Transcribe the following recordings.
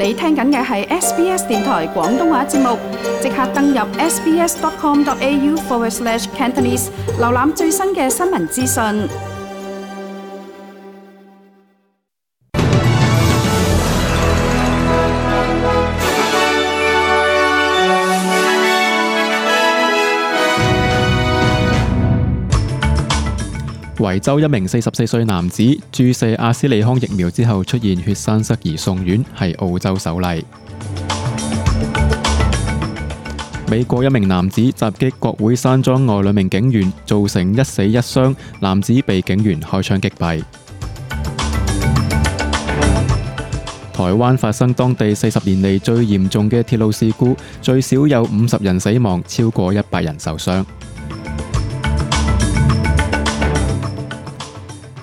你聽緊嘅係 SBS 電台廣東話節目，即刻登入 sbs.com.au/Cantonese 瀏覽最新嘅新聞資訊。維州一名44歲男子注射阿斯利康疫苗之後出現血栓塞而送院，係澳洲首例。美國一名男子襲擊國會山莊外兩名警員，造成1死1傷，男子被警員開槍擊斃。台灣發生當地40年嚟最嚴重嘅鐵路事故，最少有50人死亡，超過100人受傷。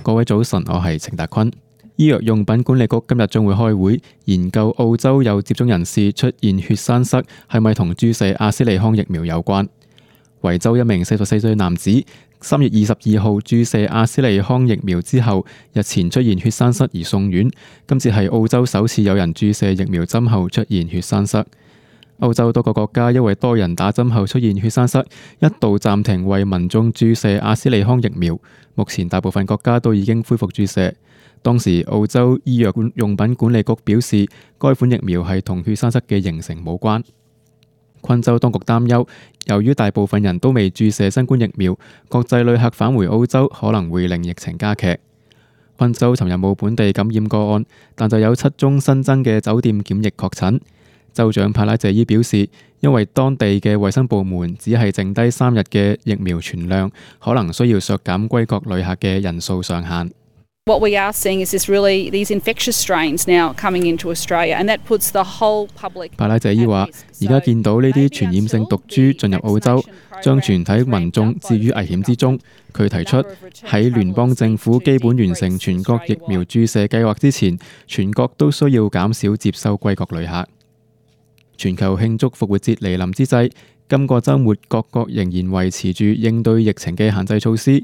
各位早晨，我係程達坤。醫藥用品管理局今日將會開會，研究澳洲有接種人士出現血栓塞係咪同注射阿斯利康疫苗有關。維州一名44歲男子3月22號注射阿斯利康疫苗之後，日前出現血栓塞而送院。今次係澳洲首次有人注射疫苗針後出現血栓塞。歐洲多個國家因為多人打針後出現血栓塞，一度暫停為民眾注射阿斯利康疫苗。目前大部分國家都已經恢復注射。當時澳洲醫藥用品管理局表示，該款疫苗係同血栓塞嘅形成冇關。昆州當局擔憂，由於大部分人都未注射新冠疫苗，國際旅客返回澳洲可能會令疫情加劇。昆州尋日冇本地感染個案，但就有7宗新增嘅酒店檢疫確診。州長帕拉謝伊表示，因為當地嘅衛生部門只係剩低3日嘅疫苗存量，可能需要削減歸國旅客嘅人數上限。What we are seeing is these infectious strains now coming into Australia, and that puts the whole public. 帕拉謝伊話：而家見到呢啲傳染性毒株進入澳洲，將全體民眾置於危險之中。佢提出喺聯邦政府基本完成全國疫苗注射計劃之前，全國都需要減少接收歸國旅客。全球慶祝復活節嚟臨之際，今個週末各國仍然維持住應對疫情嘅限制措施。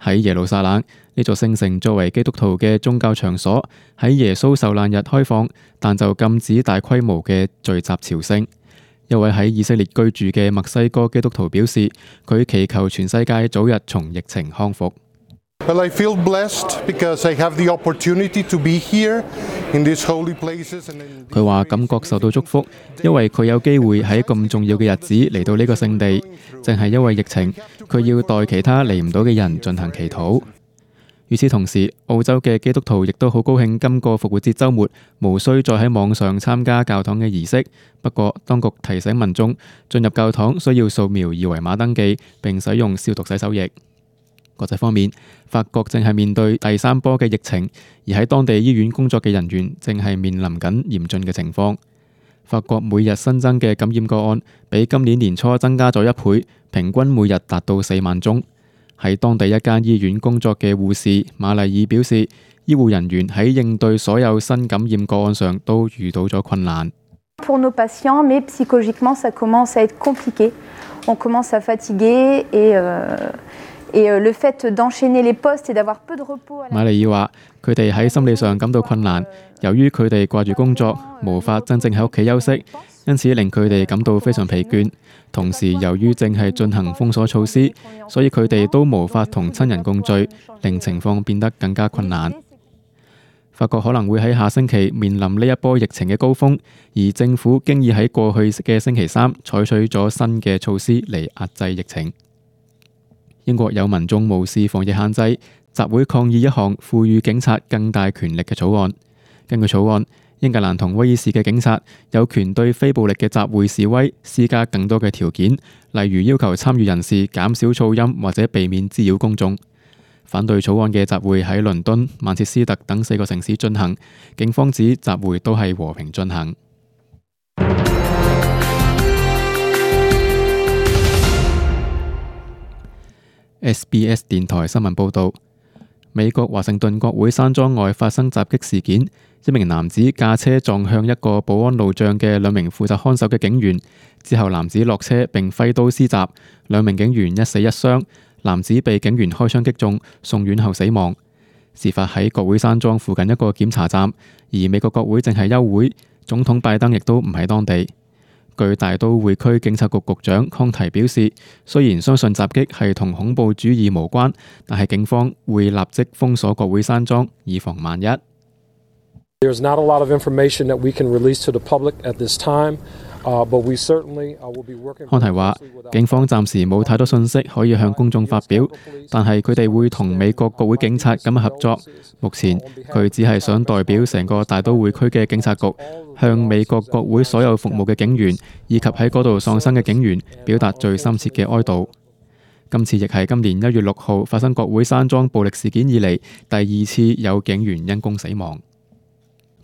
喺耶路撒冷，呢座聖城作為基督徒嘅宗教場所，喺耶穌受難日開放，但就禁止大規模嘅聚集朝聖。一位喺以色列居住嘅墨西哥基督徒表示，佢祈求全世界早日從疫情康復。Well, I feel blessed because I have the opportunity to be here in these holy places. 佢話感覺受到祝福，因為佢有機會喺咁重要嘅日子嚟到呢個聖地。正係因為疫情，佢要代其他嚟唔到嘅人進行祈禱。與此同時，澳洲嘅基督徒亦都好高興今個復活節週末無需再喺網上參加教堂嘅儀式。不過，當局提醒民眾進入教堂需要掃描二維碼登記，並使用消毒洗手液。國際方面，法國正係面對第3波嘅疫情，而喺當地醫院工作嘅人員正係面臨緊嚴峻嘅情況。法國每日新增嘅感染個案比今年年初增加咗1倍，平均每日達到4萬宗。喺當地一間醫院工作嘅護士瑪麗爾表示，醫護人員喺應對所有新感染個案上都遇到咗困難。Pour nos patients, mais psychologiquement, ça commence à être compliqué. On commence à fatiguer et le fait d'enchaîner les postes et d'avoir peu de repos. 瑪麗爾話：佢哋喺心理上感到困難，由於佢哋掛住工作，無法真正喺屋企休息，因此令佢哋感到非常疲倦。同時，由於正係進行封鎖措施，所以佢哋都無法同親人共聚，令情況變得更加困難。法國可能會喺下星期面臨呢一波疫情嘅高峰，而政府經已喺過去嘅星期3採取咗新嘅措施嚟壓制疫情。英國有民眾無視防疫限制，集會抗議一項賦予警察更大權力嘅草案。根據草案，英格蘭同威爾士嘅警察有權對非暴力嘅集會示威施加更多嘅條件，例如要求參與人士減少噪音或者避免滋擾公眾。反對草案嘅集會喺倫敦、曼徹斯特等4個城市進行，警方指集會都係和平進行。SBS 電台新聞報導，美國華盛頓國會山莊外發生襲擊事件，一名男子駕車撞向一個保安路障嘅2名負責看守嘅警員，之後男子落車並揮刀施襲，2名警員1死1傷，男子被警員開槍擊中，送院後死亡。事發喺國會山莊附近一個檢查站，而美國國會正係休會。總統拜登亦都唔喺當地。據大都會區警察局局長康提表示，雖然相信襲擊係同恐怖主義無關，但係警方會立即封鎖國會山莊，以防萬一。There's not a lot of information that we can release to the public at this time, but we certainly will be working. 康提話，警方暫時冇太多信息可以向公眾發表，但係佢哋會同美國國會警察咁合作。目前佢只係想代表成個大都會區嘅警察局，向美國國會所有服務嘅警員以及喺嗰度喪生嘅警員表達最深切嘅哀悼。今次亦係今年1月6號發生國會山莊暴力事件以嚟第2次有警員因公死亡。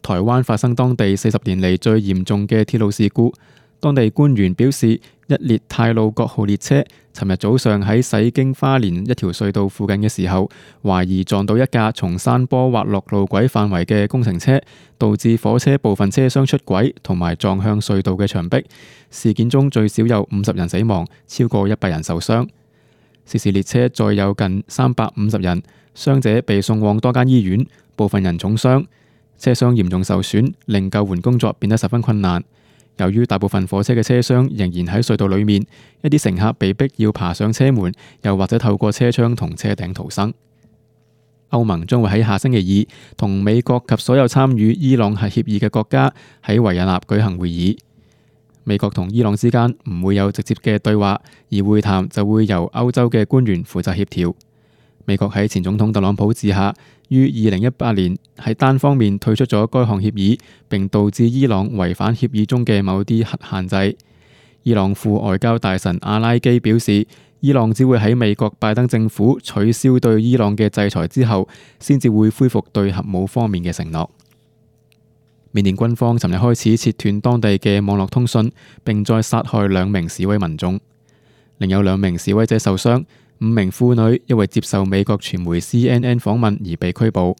台灣發生當地40年嚟最嚴重嘅鐵路事故，當地官員表示，一列太魯閣號列車尋日早上喺駛經花蓮一條隧道附近嘅時候，懷疑撞到一架從山坡滑落路軌範圍嘅工程車，導致火車部分車廂出軌同埋撞向隧道嘅牆壁。事件中最少有50人死亡，超過100人受傷。涉事列車載有近350人，傷者被送往多間醫院，部分人重傷。車廂嚴重受損，令救援工作變得十分困難。由於大部分火車嘅車廂仍然喺隧道裏面，一啲乘客被逼要爬上車門，又或者透過車窗同車頂逃生。歐盟將會喺下星期2同美國及所有參與伊朗核協議嘅國家喺維也納舉行會議。美國同伊朗之間唔會有直接嘅對話，而會談就會由歐洲嘅官員負責協調。美國喺前總統特朗普治下，於2018年喺單方面退出咗該項協議，並導致伊朗違反協議中嘅某啲核限制。伊朗副外交大臣阿拉基表示，伊朗只會喺美國拜登政府取消對伊朗嘅制裁之後，先至會恢復對核武方面嘅承諾。緬甸軍方尋日開始切斷當地嘅網絡通訊，並再殺害2名示威民眾，另有2名示威者受傷。5名婦女因為接受美國傳媒 CNN 訪問而被拘捕。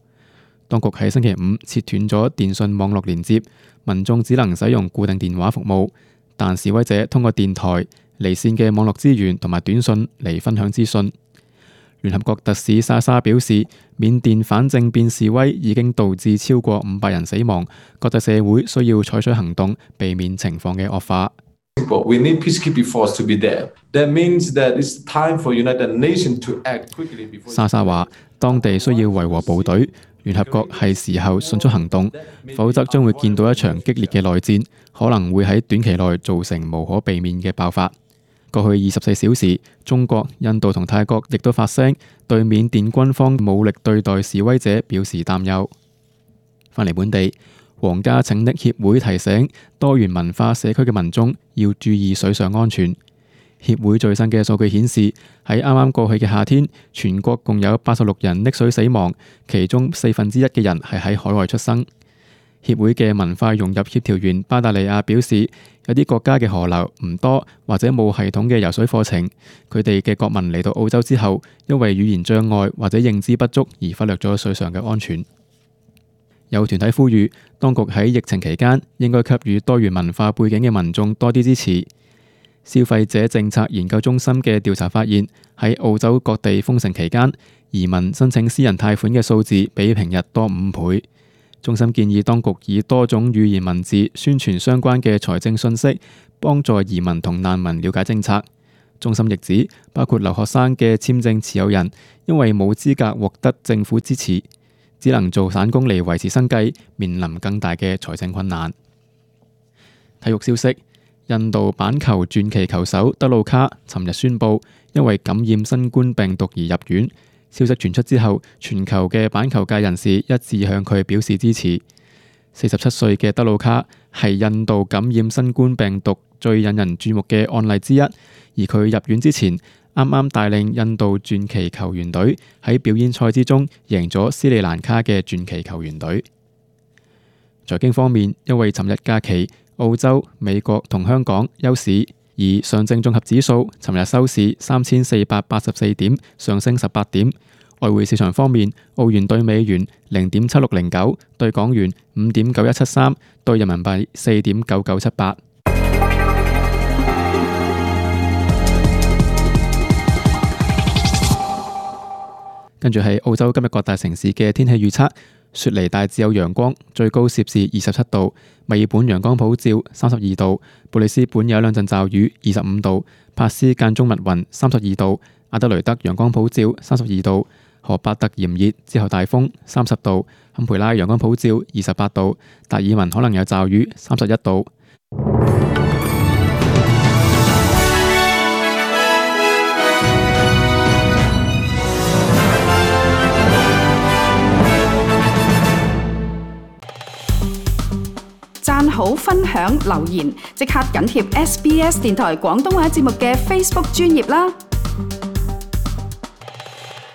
當局喺星期5切斷咗電信網絡連接，民眾只能使用固定電話服務，但示威者通過電台、離線嘅網絡資源同埋短信嚟分享資訊。聯合國特使莎莎表示，緬甸反政變示威已經導致超過500人死亡，國際社會需要採取行動，避免情況嘅惡化。We need peacekeeping force to be there. That means that it's time for United Nations to act quickly before. 莎莎話：當地需要維和部隊，聯合國係時候迅速行動，否則將會見到一場激烈嘅內戰，可能會喺短期內造成無可避免嘅爆發。過去24小時，中國、印度同泰國亦都發聲，對緬甸軍方武力對待示威者表示擔憂。返嚟本地。皇家拯溺協會提醒多元文化社區嘅民眾要注意水上安全。協會最新嘅數據顯示，喺啱啱過去嘅夏天，全國共有86人溺水死亡，其中1/4嘅人係喺海外出生。協會嘅文化融入協調員巴達利亞表示，有啲國家嘅河流唔多或者冇系統嘅游水課程，佢哋嘅國民嚟到澳洲之後，因為語言障礙或者認知不足而忽略咗水上嘅安全。有團體呼籲，當局喺疫情期間應該給予多元文化背景嘅民眾多啲支持。消費者政策研究中心嘅調查發現，喺澳洲各地封城期間，移民申請私人貸款嘅數字比平日多5倍。中心建議當局以多種語言文字宣傳相關嘅財政信息，幫助移民同難民了解政策。中心亦指，包括留學生嘅簽證持有人，因為冇資格獲得政府支持，只能做散工嚟維持生計，面臨更大嘅財政困難。體育消息：印度板球傳奇球手德魯卡尋日宣布，因為感染新冠病毒而入院。消息傳出之後，全球嘅板球界人士一致向佢表示支持。47歲嘅德魯卡係印度感染新冠病毒最引人注目嘅案例之一，而佢入院之前，啱啱帶領印度傳奇球員隊喺表演賽之中贏咗斯里蘭卡嘅傳奇球員隊。財經方面，因為尋日假期，澳洲、美國同香港休市，而上證綜合指數尋日收市3484點，上升18點。外匯市場方面，澳元對美元0.7609，對港元5.9173，對人民幣4.9978。跟住係澳洲今日各大城市嘅天氣預測。雪梨大致有陽光，最高攝氏27度；墨爾本陽光普照，32度；布里斯本有一兩陣驟雨，25度；珀斯間中密雲，32度；阿德雷德陽光普照，32度；荷伯特炎熱之後大風，30度；坎培拉陽光普照，28度；達爾文可能有驟雨，31度。讚好、分享、留言，即刻緊貼SBS 電台廣東話節目嘅 Facebook 專頁啦！